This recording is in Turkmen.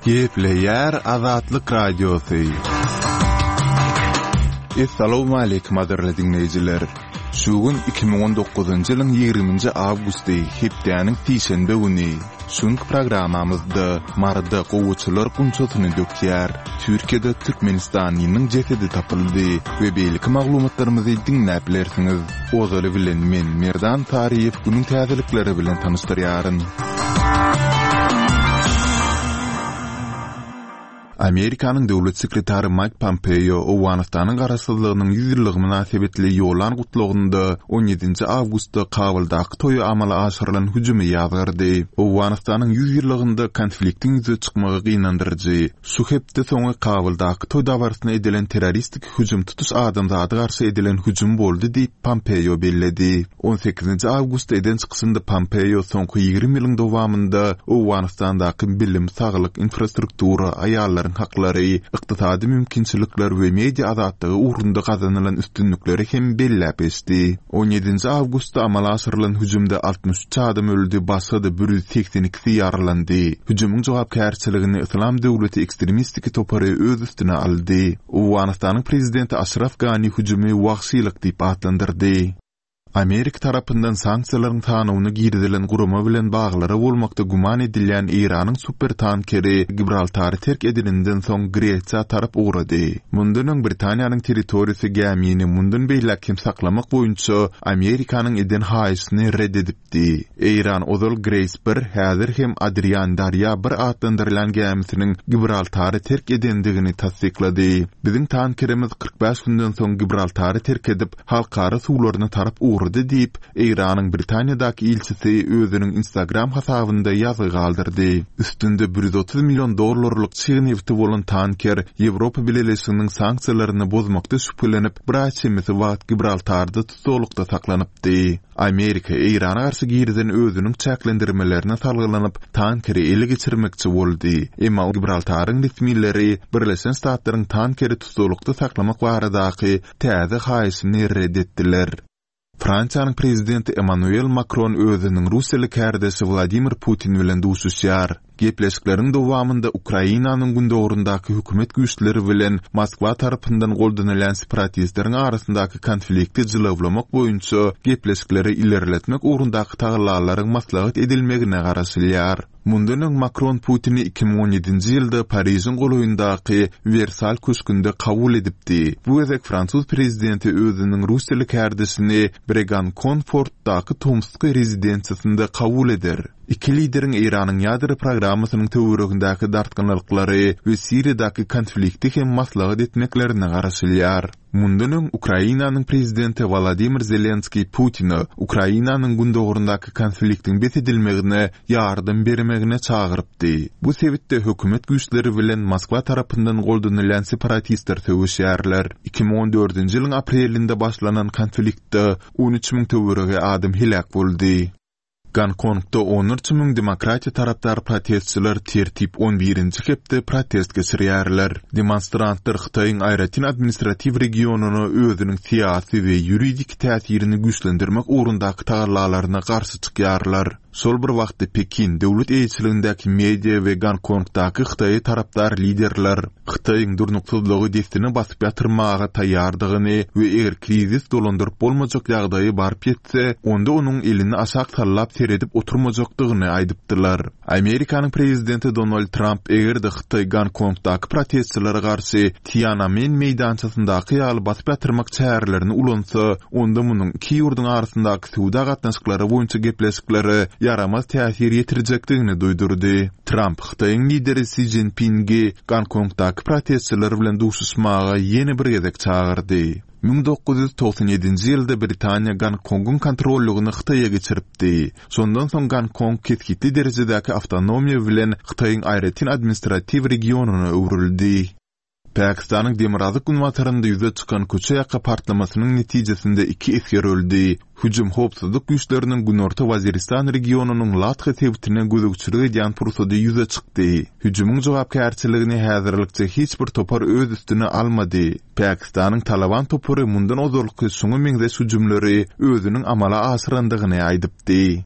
Gepleýär Azatlyk Radiosy. Essalawmaleýkim gadyrly diňleýjiler! Şu gün 2019-njy ýylyň 20-nji awgusty, hepdäniň sişenbe güni. Şu günki programmamyzda Maryda gowaçalar gunçasyny dökýär, Türkiýede türkmenistanlynyň jesedi tapyldy we beýleki maglumatlarymyzy diňläp bilersiňiz. Ozaly bilen men Merdan Saryýew günüň täzelikleri bilen tanyşdyrýaryn. Amerikanyň döwlet sekretary Maýk Pompeo Owganystanyň garaşsyzlygynyň 100 ýyllygy mynasybetli ýollan gutlagynda 17-nji awgustda Kabuldaky toýa amala aşyrylan hüjümi ýazgardy. Owganystanyň 100 ýyllygynda konfliktiň ýüze çykmagy gynandyryjy. Şu hepde soňy Kabuldaky toý dabarasyna edilen terroristik hüjüm tutuş adamzada garşy edilen hüjüm boldy diýip, Pompeo belledi. On sekizinji awgustda eden çykyşynda Pompeo soňky 20 ýylyň dowamynda Owganystandaky bilim, saglyk, infrastruktura, aýallaryň haklary, ykdysady mümkinçilikler we media azatlygy ugrunda gazanylan üstünlikleri hem belläp geçdi. On ýedinji awgustda amala aşyrylan hüjümde 63 adam öldi, başga-da bir 182-si ýaralandy. Hüjümiň jogapkärçiligini Yslam döwleti ekstremistik topary öz üstüne aldy. Owganystanyň prezidenti Aşraf Gani hüjümi wagşylyk diýip atlandyrdy. Amerika tarapyndan sanksiýalaryň sanawyna girizilen gurama bilen baglary bolmakda güman edilýän Eýranyň supertankeri Gibraltary terk edeninden soň Gresiýa tarap ugrady. Mundan öň Britaniýanyň territoriýasy gämini mundan beýläk hem saklamak boýunça Amerikanyň eden haýyşyny ret edipdi. Di. Eýran ozal Grace bir, häzir hem Adrian Darýa bir atlandyrylýan gämisiniň Gibraltary terk edendigini tassyklady. Biziň tankerimiz 45 günden soň Gibraltary terk edip, halkara suwlaryna tarap ugrady diýip, Eýranyň Britaniýadaky ilçisi özüniň Instagram hasabynda ýazgy galdyrdy. Üstünde 130 million dollarlyk çig nebti bolan tanker Ýewropa Bileleşiginiň sanksiýalaryny bozmakda şübhelenip, bir aý çemesi wagt Gibraltarda tussaglykda saklanypdy. Amerika Eýrana garşy girizen özüniň çäklendirmelerine salgylanyp, tankeri ele geçirmekçi boldy. Emma Gibraltaryň resmileri Birleşen Ştatlaryň tankeri tussaglykda saklamak baradaky täze haýyşyny ret etdiler. Fransiýanyň prezidenti Emmanuel Makron özüniň russiýaly kärdeşi Wladimir Putin bilen duşuşýar. Gepleşikleriň dowamynda Ukrainanyň gündogaryndaky hökümet güýçleri bilen Moskwa tarapyndan goldanylýan separatistleriň arasyndaky konflikti jylawlamak boýunça gepleşikleri ilerletmek ugrundaky tagallalaryň maslahat edilmegine garaşylýar. Mundan öň Makron Putini 2017-nji ýylda Parižiň golaýyndaky Wersal köşgünde kabul edipdi. Bu gezek fransuz prezidenti özüniň russiýaly kärdeşini Bregankon-Fortdaky tomsky rezidensiýasynda kabul eder. Iki lideriň Eýranyň ýadro programmasynyň töweregindäki dartgynlyklary we Siriýadaky konflikti hem maslahat etmeklerine garaşylýar. Mundan öň Ukrainanyň prezidenti Wolodymyr Zelenskiý Putine Ukrainanyň gündogaryndaky konfliktiň bes edilmegine ýardam bermegine çagyrypdy. Bu sebitde hökümet güýçleri bilen Moskwa tarapyndan goldanylýan separatistler söweşýärler. 2014-nji ýylyň aprelinde başlanan konfliktde 13 müň töweregi adam heläk boldy. Gonkongda onlarça müň demokratiýa tarapdar protestçiler tertip on birinji hepde protest geçirýärler. Demonstrantlar Hytaýyň aýratyn administratiw regionyna özüniň syýasy we ýuridik täsirini güýçlendirmek ugrundaky tagallalaryna garşy çykýarlar. Şol bir wagtda Pekin döwlet eýeçiligindäki media we Gonkongdaky Hytaýa tarapdar liderler Hytaýyň durnuksyzlygy dessine basyp ýatyrmaga taýýardygyny we eger krizis dolandyryp bolmajak ýagdaýa baryp ýetse, onda onuň elini aşak sallap seredip oturmajakdygyny aýdypdylar. Amerikanyň prezidenti Donald Tramp eger-de Hytaý Gonkongdaky protestçilere garşy Tiananmen meýdançasyndaky ýaly basyp ýatyrmak çärelerini ulansa, onda munuň iki ýurduň arasyndaky söwda gatnaşyklary boýunça gepleşiklere ýaramaz täsir ýetirjekdigini duýdurdy. Tramp Hytaýyň lideri Si Szinpingi Gonkongdaky protestçiler bilen duşuşmaga ýene bir gezek çagyrdy. 1997-nji ýylda Britaniýa Gonkongyň kontrollygyny Hytaýa geçiripdi. Şondan soň Gonkong kesgitli derejedäki awtonomiýa bilen Hytaýyň aýratyn administratiw regionyna öwrüldi. Pakistanyň demirgazyk-günbatarynda ýüze çykan köçe ýaka partlamasynyň netijesinde iki esger öldi. Hüjüm howpsuzlyk güýçleriniň Günorta Waziristan regionynyň Latha sebitine gözegçilik edýän pursady ýüze çykdy. Hüjümiň jogapkärçiligini häzirlikçe hiç bir topar öz üstüne almady. Pakistanyň Talaban topary mundan ozalky şuňa meňzeş hüjümleri özüniň amala aşyrandygyny aýdypdy.